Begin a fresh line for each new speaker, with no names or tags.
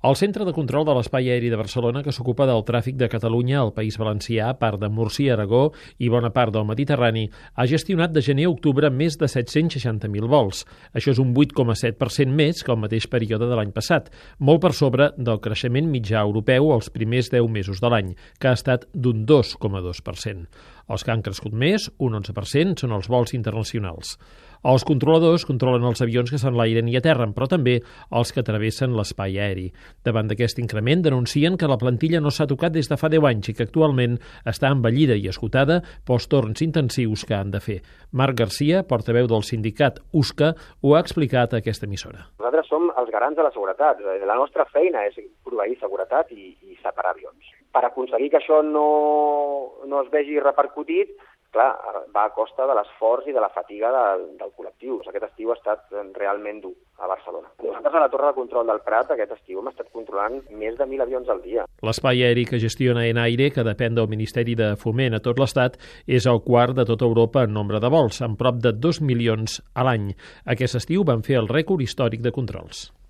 El Centre de Control de l'Espai Aeri de Barcelona, que s'ocupa del tràfic de Catalunya al País Valencià, part de Múrcia, Aragó i bona part del Mediterrani, ha gestionat de gener a octubre més de 760.000 vols. Això és un 8,7% més que el mateix període de l'any passat, molt per sobre del creixement mitjà europeu els primers 10 mesos de l'any, que ha estat d'un 2,2%. Els que han crescut més, un 11%, són els vols internacionals. Els controladors controlen els avions que s'enlairen i aterren, però també els que travessen l'espai aeri. Davant d'aquest increment, denuncien que la plantilla no s'ha tocat des de fa 10 anys i que actualment està envellida i esgotada pels torns intensius que han de fer. Marc Garcia, portaveu del sindicat USCA, ho ha explicat a aquesta emissora.
Nosaltres som els garants de la seguretat. La nostra feina és proveir seguretat i separar avions. Per aconseguir que això no es vegi repercutit, clar, va a costa de l'esforç i de la fatiga del col·lectiu. Aquest estiu ha estat realment dur a Barcelona. Nosaltres a la Torre de Control del Prat aquest estiu hem estat controlant més de 1.000 avions al dia.
L'espai aeri que gestiona Enaire, que depèn del Ministeri de Foment a tot l'Estat, és el quart de tota Europa en nombre de vols, amb prop de 2 milions a l'any. Aquest estiu van fer el rècord històric de controls.